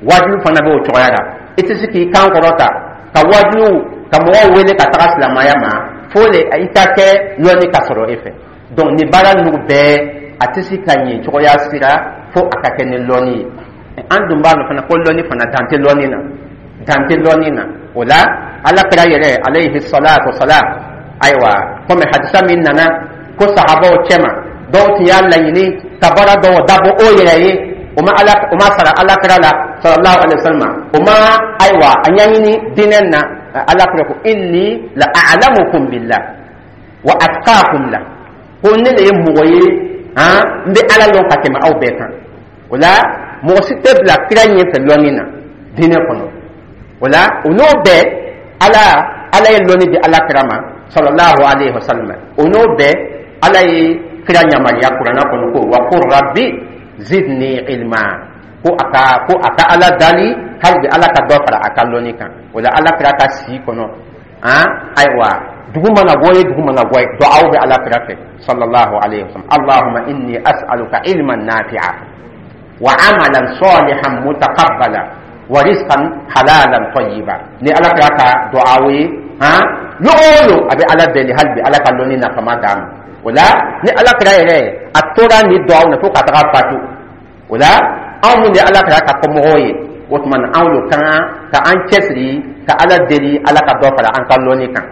Wajibi fana b'o cogoya la, i tɛ se k'i kan kɔrɔta ka wajibiw ka mɔgɔw wele ka taga silamɛya ma, fo de i ka kɛ lɔnni ka sɔrɔ e fɛ. Donc nin baara ninnu bɛɛ, a tɛ se ka ɲɛ cogoya sira fo a ka kɛ ni lɔnni ye. An dun b'a dɔn fana ko lɔnni fana, dan tɛ lɔnni na, dan tɛ lɔnni na. O la, Ala kira yɛrɛ alayhi salatu wasalam, ayiwa, komi hadisa min nana ko sahabaw cɛma dɔw tun y'a laɲini ka baara dɔw dabɔ o yɛrɛ ye, o O ma Ala, o ma sara Ala kira la sallallahu alaihi wasallam, o ma ayiwa a ɲɛɲini diinɛ na. Ala kira ko: "Inni la a'lamukum billah wa atqakum la." Ko ne de ye mɔgɔ ye, han, n bɛ Ala lɔn ka tɛmɛ aw bɛɛ kan. O la, mɔgɔ si tɛ bila kira ɲɛfɛ lɔnni na diinɛ kɔnɔ. O la, o n'o bɛɛ, ala ala ye lɔnni di Ala kira ma sallallahu alaihi wasallam. O n'o bɛɛ, Ala ye kira yamaruya Kuranna kɔnɔ ko: "Wa qul rabbi zidni ilma." ko a ka ko a ka Ala dali hali bi Ala ka dɔ fara a ka lɔnni kan. O la, Ala kira ka si kɔnɔ, han, ayiwa, dugu mana bɔ ye, dugu mana bɔ ye, duwawu bɛ Ala kira fɛ sallallahu alaihi wasallam: "Allahumma inni as'aluka ilman nafi'a wa amalan salihan mutaqabbala wa rizqan halalan tayyiba." Ni Ala kira ka duwawu ye, han, lon o lon a bɛ Ala deli hali bi Ala ka lɔnni nafama d'a ma. O la, ni Ala kira yɛrɛ a tora ni duwawu na fo ka taga fatu. O la, anw mun ye Ala kira ka kɔmɔgɔw ye, o tuma na anw lo kan ka an cɛsiri ka Ala deli Ala ka dɔ fara an ka lɔnni kan.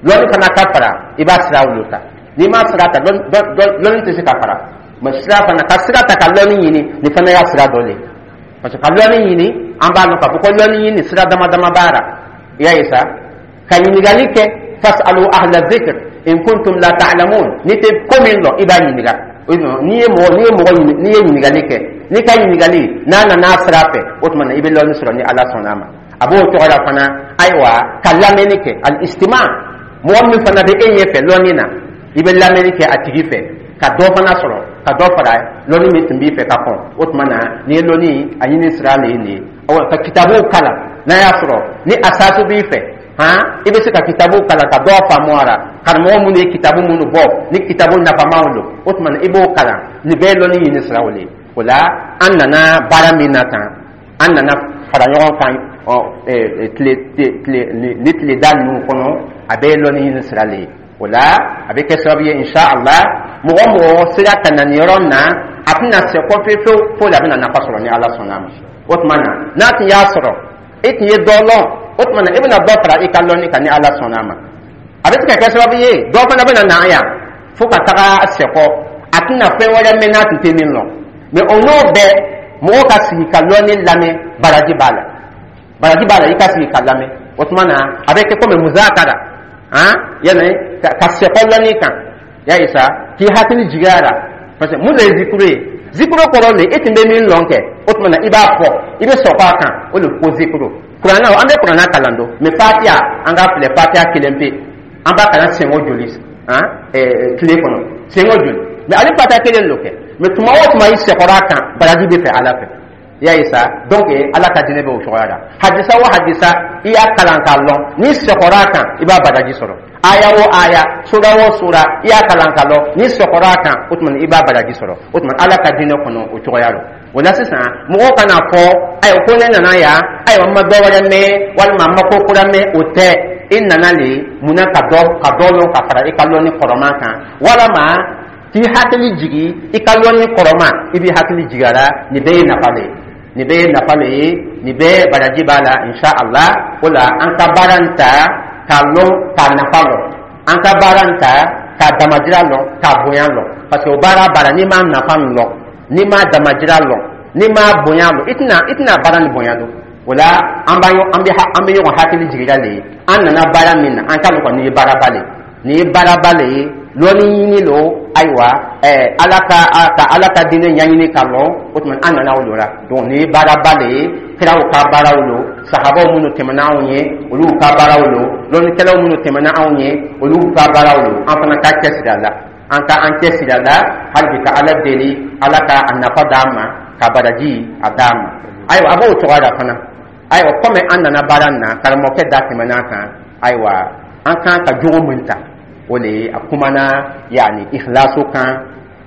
Lɔnni fana ka fara, i b'a sira lo ta. N'i ma sira ta, lɔnni tɛ se ka fara. Mɛ sira fana, ka sira ta ka lɔnni ɲini, nin fana y'a sira dɔ le ye, parce que ka lɔnni ɲini, an b'a lɔn k'a fɔ ko lɔnni ɲini sira dama dama b'a la. I y'a ye sa, ka ɲininkali kɛ: "Fasalu ahla zikr in kuntum la ta'lamun." N'i tɛ ko min lɔn, i b'a ɲininka. N'i ye mɔgɔ n'i ye mɔgɔ ɲini, n'i ye ɲininkali kɛ, n'i ka ɲininkali n'a nana sira fɛ, o tuma na i bɛ lɔnni sɔrɔ ni Ala sɔnna a ma. A b'o cogo la fana, ayiwa, ka lamɛnni kɛ, al istima. Mɔgɔ min fana bɛ e ɲɛfɛ lɔnni na, i bɛ lamɛnni kɛ a tigi fɛ ka dɔ fana sɔrɔ, ka dɔ fara lɔnni min tun b'i fɛ ka kɔn. O tuma na, n'i ye lɔnni a ɲini sira le ye nin ye. Awa, ka kitabuw kalan, n'a y'a sɔrɔ ni asasu b'i fɛ, han, i bɛ se ka kitabu kalan ka dɔ faamu a la. Karamɔgɔ minnu ye kitabu minnu bɔ, ni kitabu nafamaw don, o tuma na i b'o kalan. Nin bɛɛ ye lɔnni ɲini siraw le ye. O la, an nana baara min na tan, an nana fara ɲɔgɔn kan, ɔ, tile tile ni tile da ninnu kɔnɔ, a bɛɛ ye lɔnni ɲini sira le ye. O la, a bɛ kɛ sababu ye, inshallah, mɔgɔ mɔgɔ sera ka na nin yɔrɔ in na, a tɛna se kɔ fewu fewu fo a bɛna nafa sɔrɔ ni Ala sɔnna a ma. O tuma na, n'a tun y'a sɔrɔ e tun ye dɔ lɔn, o tuma na e bɛna dɔ fara i ka lɔnni kan ni Ala sɔnna a ma. A bɛ se ka kɛ sababu ye, dɔ fana bɛna na yan fo ka taga sɛkɔ, a tɛna fɛn wɛrɛ mɛn n'a tun tɛ min lɔn. Mɛ o n'o bɛɛ, mɔgɔ ka sigi ka lɔnni lamɛn, baraji b'a la, baraji b'a la. I ka sigi ka lamɛn, o tuma na a bɛ kɛ komi muzakara, han, yani ka sɛkɔ lɔnni kan. Ya ye sa, k'i hakili jigin a la, parce que mun de ye zikuru ye? Zikuru kɔrɔ de, e tun bɛ min lɔn kɛ, o tuma na i b'a fɔ, i bɛ sɔkɔ a kan, o de ko zikuru. Kuranna, an bɛ kuranna kalan don, mɛ Fatiya, an k'a filɛ, Fatiya kelen pe, an b'a kalan siɲɛ joli, han, tile kɔnɔ? Siɲɛ joli? Mɛ ale Fatiya kelen lo kɛ, mɛ tuma o tuma i sɛkɔrɔ a kan, baraji bɛ fɛ Ala fɛ. I y'a ye sa, donc Ala ka diinɛ bɛ o cogoya la. Hadisa o hadisa, i y'a kalan k'a lɔn, n'i sɛkɔrɔ a kan, i b'a baraji sɔrɔ. Aya o aya, sura o sura, i y'a kalan k'a lɔn, n'i sɔkɔrɔ a kan, o tuma i b'a baraji sɔrɔ. O tuma Ala ka diinɛ kɔnɔ, o cogoya la. O la sisan, mɔgɔw kana fɔ: "Ayiwa, ko ne nana yan, ayiwa, n ma dɔ wɛrɛ mɛn walima n ma ko kura mɛn." O tɛ. I nana le munna? Ka dɔ ka dɔ lɔn ka fara i ka lɔnni kɔrɔman kan, walama k'i hakili jigi i ka lɔnni kɔrɔma, i b'i hakili jigi a la. Nin bɛɛ ye nafa le ye, nin bɛɛ ye nafa le ye, nin bɛɛ baraji b'a la, insha Allah. O la, an ka baara in ta k'a lɔn, k'a nafa lɔn. An ka baara in ta k'a damajira lɔn, k'a bonya lɔn, parce que o baara baara, n'i m'a nafa lɔn, n'i m'a damajira lɔn, n'i m'a bonya lɔn, i tɛna i tɛna baara nin bonya dɔn. O la, an b'a an bɛ an bɛ ɲɔgɔn hakili jigira le ye. An nana baara min na, an k'a lɔn kɔni, nin ye baaraba le ye, nin ye baaraba le ye, lɔnni ɲini lo. Ayiwa, ɛɛ ala ka ka Ala ka diinɛ ɲɛɲini ka lɔn, o tuma an nana o lo la. Donc nin ye baaraba le ye. Kiraw ka baaraw lo, sahabaw minnu tɛmɛna anw ye, olu ka baaraw lo, lɔnnikɛlaw minnu tɛmɛna anw ye, olu ka baaraw lo. An fana ka cɛsiri a la, an ka an cɛsiri a la hali bi, ka Ala deli Ala ka a nafa d'an ma, ka baraji a d'an ma. Ayiwa, a b'o cogoya la fana. Ayiwa, komi an nana baara nin na, karamɔgɔkɛ da tɛmɛna kan, ayiwa, an kan ka jogo min ta, o le ye a kumana, yani ikhlasu kan,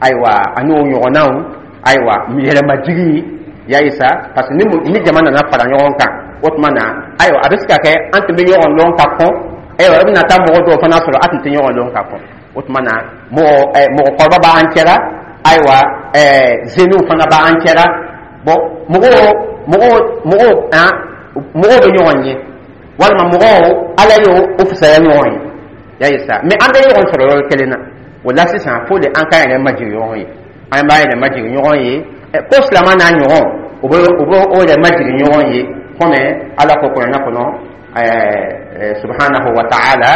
ayiwa, ani o ɲɔgɔnnaw, ayiwa, yɛrɛmajigi. Ya ye sa, parce que ni ni jama nana fara ɲɔgɔn kan, o tuma na, ayiwa, a bɛ se ka kɛ an tun bɛ ɲɔgɔn lɔn ka kɔn. Ayiwa, i bɛna taa mɔgɔ dɔw fana sɔrɔ, a tun tɛ ɲɔgɔn lɔn ka kɔn. O tuma na, mɔgɔ ɛ mɔgɔkɔrɔba b'an cɛla, ayiwa, ɛɛ zeniw fana b'an cɛla. Bon, mɔgɔw mɔgɔw mɔgɔw han, mɔgɔw bɛ ɲɔgɔn ye, walima mɔgɔw, Ala y'o o fisaya ɲɔgɔn ye. Ya ye sa, mɛ an bɛ ɲɔgɔn sɔrɔ yɔrɔ kelen na. O la sisan, fo de an k'an yɛrɛ majigin ɲɔgɔn ye, an b'an yɛrɛ majigin ɲɔgɔn ye. Ko silama n'a ɲɔgɔn, o bɛ o bɛ o yɛrɛ majigin ɲɔgɔn ye, komi Ala ko Kuranɛ kɔnɔ subhanahu wa ta'ala: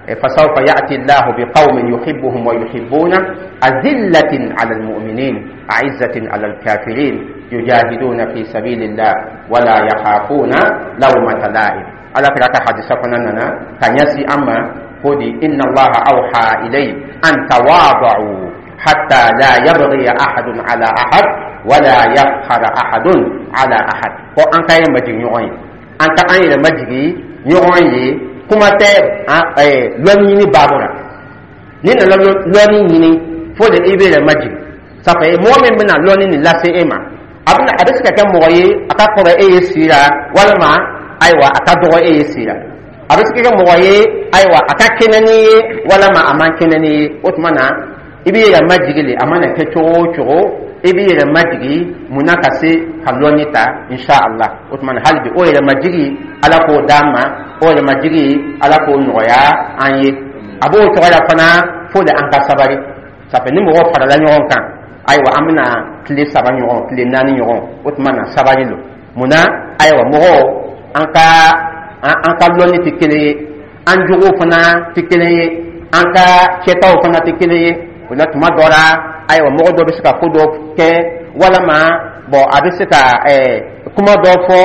فسوف يأتي الله بقوم يحبهم ويحبونه أذلة على المؤمنين أعزة على الكافرين يجاهدون في سبيل الله ولا يخافون لومة لائم. Ala kira ka hadisa fana nana ka ɲɛsin an ma ko di: إن الله أوحى إلي أن تواضعوا حتى لا يبغي أحد على أحد ولا يفخر أحد على أحد. Ko an ka ye majigi ɲɔgɔn ye, an ka an yɛrɛ majigi ɲɔgɔn ye. Kuma tɛ lɔnni ɲini baabu la. N'i nana lɔnni ɲini, fo de i bɛ yɛrɛ majigi. Ça fait mɔgɔ min bɛna lɔnni nin lase e ma, a bɛna a bɛ se ka kɛ mɔgɔ ye a ka kɔrɔ e ye si la, walima ayiwa a ka dɔgɔ e ye si la. A bɛ se ka kɛ mɔgɔ ye, ayiwa, a ka kɛnɛ n'i ye, walima a man kɛnɛ n'i ye. O tuma na, i b'i yɛrɛ majigi le. A mana kɛ cogo o cogo, i b'i yɛrɛ majigi. Munna? Ka se ka lɔnni ta, insha Allah. O tuma na, hali bi, o yɛrɛ majigi, Ala k'o d'an ma. O yɛrɛ majigi, Ala k'o nɔgɔya an ye. A b'o cogoya la fana, fo de an ka sabari. Ça fait ni mɔgɔw farala ɲɔgɔn kan, ayiwa, an bɛna tile saba ɲɔgɔn, tile naani ɲɔgɔn, o tuma na sabari lo. Munna? Ayiwa, mɔgɔw, an ka an ka lɔnni tɛ kelen ye, an jogow fana tɛ kelen ye, an ka kɛtaw fana tɛ kelen ye. O la, tuma dɔ la, ayiwa, mɔgɔ dɔ bɛ se ka ko dɔ kɛ, walama bɔn, a bɛ se ka ɛɛ kuma dɔ fɔ,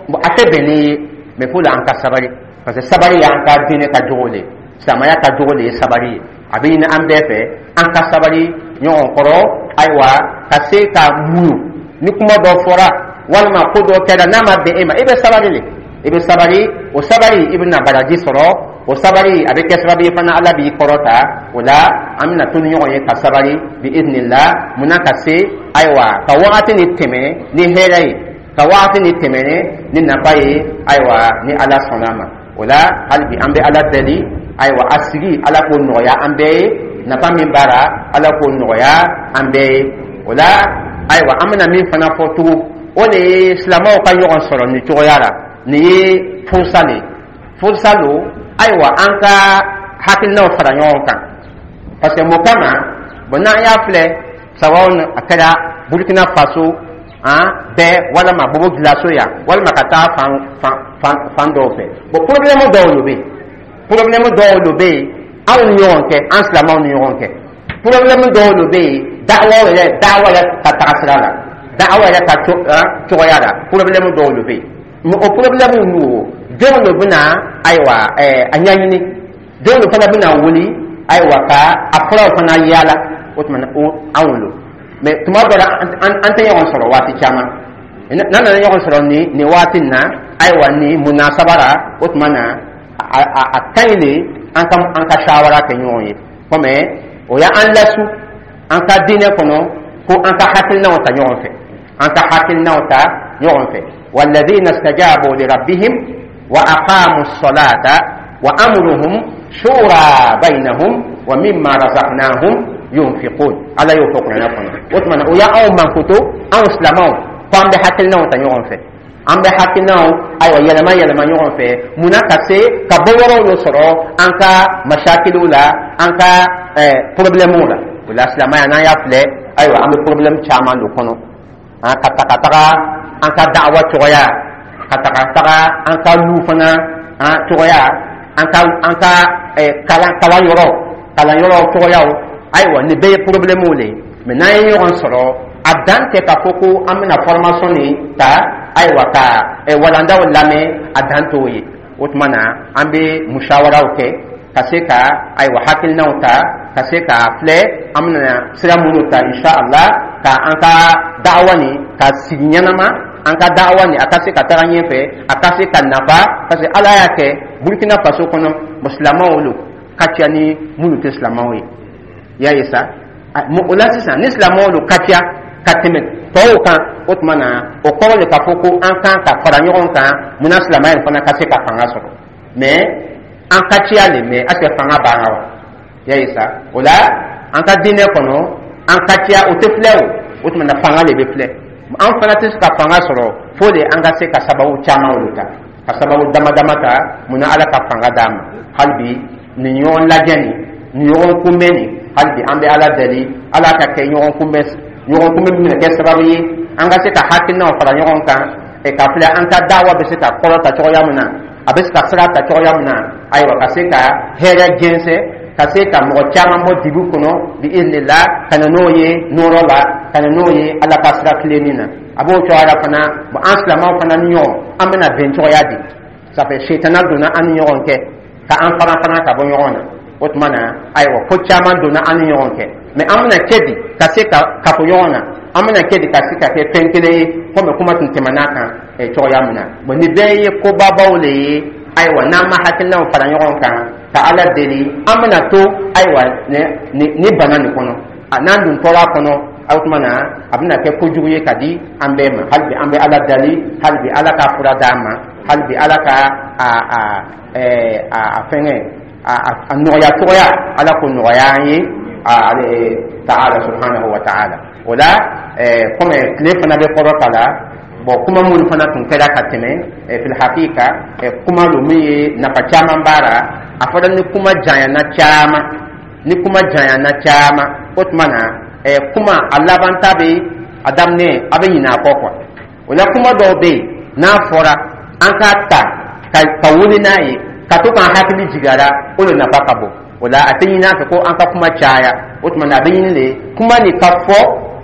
bɔn, a tɛ bɛn ni ye. Mɛ fo la an ka sabari, parce que sabari y'an ka diinɛ ka jogo de ye, silamɛya ka jogo de ye sabari ye. A bɛ ɲini an bɛɛ fɛ an ka sabari ɲɔgɔn kɔrɔ, ayiwa, ka se ka muɲu. Ni kuma dɔ fɔra walima ko dɔ kɛra n'a ma bɛn e ma, i bɛ sabari de, i bɛ sabari. O sabari, i bɛna baraji sɔrɔ. O sabari, a bɛ kɛ sababu ye fana, Ala b'i kɔrɔta. O la, an bɛna to ni ɲɔgɔn ye ka sabari bi idinila. Munna? Ka se, ayiwa, ka wagati ni tɛmɛ ni hɛrɛ ye, ka wagati ni tɛmɛ ni nafa ye, ayiwa, ni Ala sɔnna a ma. O la, hali bi, an bɛ Ala deli, ayiwa, a sigi, Ala k'o nɔgɔya an bɛɛ ye. Nafa min b'a la, Ala k'o nɔgɔya an bɛɛ ye. O la, ayiwa, an bɛna min fana fɔ tugun, o de ye silamɛw ka ɲɔgɔn sɔrɔ nin cogoya la. Nin ye furusa de ye, furusa don, ayiwa, an ka hakilinaw fara ɲɔgɔn kan. Parce que mun kama? Bon, n'an y'a filɛ, sababu a kɛra Burukina Faso an bɛɛ, walima Bobo Gilaso yan, walima ka taa fan fan fan fan dɔw fɛ, bon, problème dɔw de bɛ yen, problème dɔw de bɛ yen anw ni ɲɔgɔn cɛ, an silamɛw ni ɲɔgɔn cɛ. Problème dɔw de bɛ yen da'awa yɛrɛ, da'awa yɛrɛ ka taga sira la, da'awa yɛrɛ ka cogoya la, problème dɔw de bɛ yen. Mais o problème ninnu, o jɔn de bɛna, ayiwa, ɛɛ a ɲɛɲini? Jɔn de fana bɛna wuli, ayiwa, ka a furaw fana yaala? O tuma na, o anw lo. Mais tuma dɔ la, an tɛ ɲɔgɔn sɔrɔ waati caman. N'an nana ɲɔgɔn sɔrɔ nin nin waati in na, ayiwa, nin munasaba la, o tuma na, a a a ka ɲi de an ka an ka sawara kɛ ɲɔgɔn ye, komi o y'an lasu an ka diinɛ kɔnɔ ko an ka hakilinaw ta ɲɔgɔn fɛ, an ka hakilinaw ta ɲɔgɔn fɛ. والذين استجابوا لربهم وأقاموا الصلاة وأمرهم شورى بينهم ومما رزقناهم ينفقون. Ala y'o fɔ Kuranɛ kɔnɔ. O tuma na, o y'anw mankuto, anw silamɛw, ko an bɛ hakilinaw ta ɲɔgɔn fɛ, an bɛ hakilinaw, ayiwa, yɛlɛma yɛlɛma ɲɔgɔn fɛ. Munna? Ka se ka bɔ yɔrɔw dɔ sɔrɔ an ka masakiliw la, an ka ɛɛ problèmew la. O la, silamɛya, n'an y'a filɛ, ayiwa, an bɛ problème caman don kɔnɔ. An ka ta ka taga an ka da'awa cogoya, ka taga taga an ka lu fana an cogoya, an ka an ka ɛɛ kalan kalan yɔrɔ kalan yɔrɔ cogoyaw, ayiwa, nin bɛɛ ye problème de ye. Mais n'an ye ɲɔgɔn sɔrɔ, a dan tɛ k'a fɔ ko an bɛna formation nin ta, ayiwa, ka walandaw lamɛn, a dan t'o ye. O tuma na, an bɛ musawaraw kɛ ka se ka, ayiwa, hakilinaw ta, ka se ka filɛ an bɛna sira minnu ta, insha Allah, ka an ka da'awa nin ka sigi ɲɛnama, an ka da'awa nin a ka se ka taga ɲɛfɛ, a ka se ka nafa. Parce que Ala y'a kɛ, Burukina Faso kɔnɔ, silamɛw lo ka ca ni minnu tɛ silamɛw ye. I y'a ye sa, o la sisan, ni silamɛw lo ka ca ka tɛmɛ tɔw kan, o tuma na, o kɔrɔ de k'a fɔ ko an kan ka fara ɲɔgɔn kan. Munna? Silamɛya in fana ka se ka fanga sɔrɔ. Mais an ka ciya le, mais est ce que fanga b'an kan wa? I y'a ye sa, o la, an ka diinɛ kɔnɔ, an ka ciya o tɛ filɛ. O o tuma na, fanga de bɛ filɛ. An fana tɛ se ka fanga sɔrɔ fo de an ka se ka sababu caman olu ta, ka sababu dama dama ta. Munna? Ala ka fanga d'an ma. Hali bi, nin ɲɔgɔn lajɛ nin, nin ɲɔgɔn kunbɛn nin, hali bi, an bɛ Ala deli, Ala ka kɛ ɲɔgɔn kunbɛn ɲɔgɔn kunbɛn min bɛna kɛ sababu ye. An ka se ka hakilinaw fara ɲɔgɔn kan ka filɛ an ka dawa bɛ se ka kɔrɔta cogoya min na, a bɛ se ka sira ta cogoya min na. Ayiwa, ka se ka hɛrɛ jɛnsɛn, ka se ka mɔgɔ caman bɔ dibi kɔnɔ bi iznillah, ka na n'o ye nɔrɔ la, ka na n'o ye Ala ka sira tilenni na. A b'o cogoya la fana. Bon, an silamɛw fana ni ɲɔgɔn, an bɛna bɛn cogoya di? Ça fait setana donna an ni ɲɔgɔn cɛ ka an fara fana ka bɔ ɲɔgɔn na. O tuma na, ayiwa, ko caman donna an ni ɲɔgɔn cɛ, mais an bɛna kɛ di ka se ka kafo ɲɔgɔn na? An bɛna kɛ di ka se ka kɛ fɛn kelen ye, komi kuma tun tɛmɛna kan cogoya min na? Bon, nin bɛɛ ye kobabaw le ye. Ayiwa, n'an ma hakilinaw fara ɲɔgɔn kan ka Ala deli, an bɛna to, ayiwa, ni ni bana nin kɔnɔ. N'an dun tɔra a kɔnɔ, o tuma na a bɛna kɛ kojugu ye ka di an bɛɛ ma. Hali bi an bɛ Ala dali, hali bi Ala ka fura d'an ma, hali bi Ala ka a a ɛɛ a a fɛngɛ a a nɔgɔya cogoya, Ala k'o nɔgɔya an ye taala subhanahu wa ta'ala. O la, ɛɛ komi tile fana bɛ kɔrɔ ta la, bon, kuma minnu fana tun kɛra ka tɛmɛ, fil hakika, kuma lo min ye nafa caman b'a la. A fɔra ni kuma janyana caman, ni kuma janyana caman, o tuma na kuma a laban ta bɛ a daminɛ, a bɛ ɲinɛ a kɔ quoi. O la, kuma dɔw bɛ yen, n'a fɔra an k'a ta ka ka wuli n'a ye, ka to k'an hakili jigin a la, o de nafa ka bon. O la, a tɛ ɲini an fɛ ko an ka kuma caya. O tuma na, a bɛ ɲini de kuma nin ka fɔ,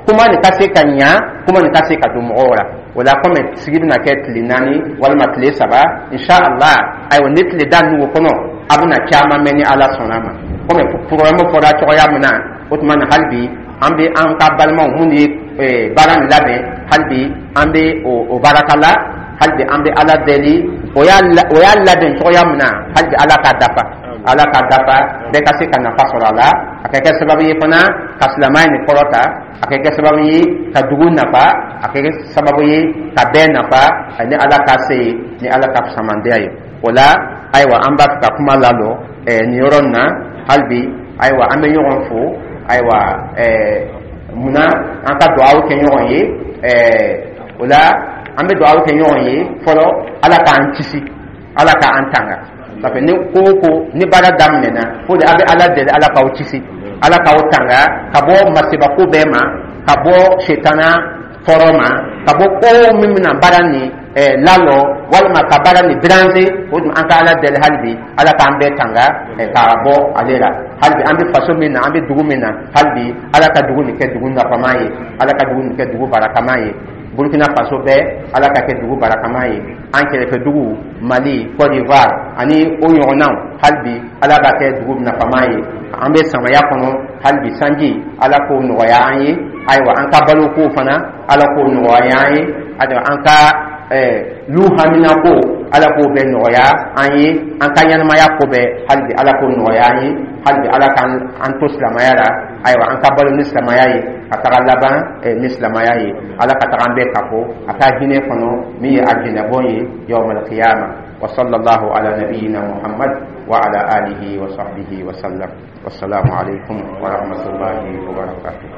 kuma nin ka se ka ɲa, kuma nin ka se ka don mɔgɔw la. O la, komi sigi bɛna kɛ tile naani walima tile saba, inshallah, ayiwa, ni tile da ninnu kɔnɔ, a bɛna caman mɛn ni Ala sɔnna a ma, komi programme fɔra cogoya min na. O tuma na, hali bi an bɛ an ka balimaw minnu ye baara nin labɛn, hali bi an bɛ o baraka la. Hali bi an bɛ Ala deli, o y'a o y'a labɛn cogoya min na, hali bi Ala k'a dafa, Ala k'a dafa, bɛɛ ka se ka nafa sɔrɔ a la. A ka kɛ sababu ye fana ka silamɛya nin kɔrɔta, a ka kɛ sababu ye ka dugu nafa, a ka kɛ sababu ye ka bɛɛ nafa, ni Ala ka se ye, ni Ala ka fisamandiya ye. O la, ayiwa, an b'a fɛ ka kuma lalɔ nin yɔrɔ nin na. Hali bi, ayiwa, an bɛ ɲɔgɔn fo. Ayiwa, munna an ka dugawu kɛ ɲɔgɔn ye? O la, an bɛ dugawu kɛ ɲɔgɔn ye fɔlɔ, Ala k'an kisi, Ala k'an tanga. Parce que ni ko o ko ni baara daminɛna, o de a bɛ Ala deli, Ala k'aw kisi, Ala k'aw tanga ka bɔ masibako bɛɛ ma, ka bɔ setana tɔɔrɔ ma, ka bɔ ko min bɛna baara nin lalɔ walima ka baara nin déranger. O tuma, an ka Ala deli hali bi, Ala k'an bɛɛ tanga ka bɔ ale la. Hali bi an bɛ faso min na, an bɛ dugu min na, hali bi Ala ka dugu nin kɛ dugu nafama ye, Ala ka dugu nin kɛ dugu barakama ye. Burukina Faso bɛɛ, Ala ka kɛ dugu barakama ye. An kɛrɛfɛ dugu Mali, Côte d'Ivoire ani o ɲɔgɔnnaw, hali bi Ala b'a kɛ dugu nafama ye. An bɛ samaya kɔnɔ, hali bi sanji, Ala k'o nɔgɔya an ye. Ayiwa, an ka baloko fana, Ala k'o nɔgɔya an ye. Ayiwa, an ka lu hamina ko, Ala k'o bɛɛ nɔgɔya an ye. An ka ɲɛnamaya ko bɛɛ, hali bi Ala k'o nɔgɔya an ye. Hali bi Ala k'an an to silamɛya la. Ayiwa, an ka balo ni silamɛya ye, ka taga laban ni silamɛya ye. Ala ka taga an bɛɛ kafo a ka hinɛ kɔnɔ min ye alijinɛbɔn ye yawmal qiyama. Wa sallallahu ala nabiyyina Muhammad wa ala alihi wa sahbihi wa sallam. Wassalamu alaikum wa rahmatullahi wa barakatuh.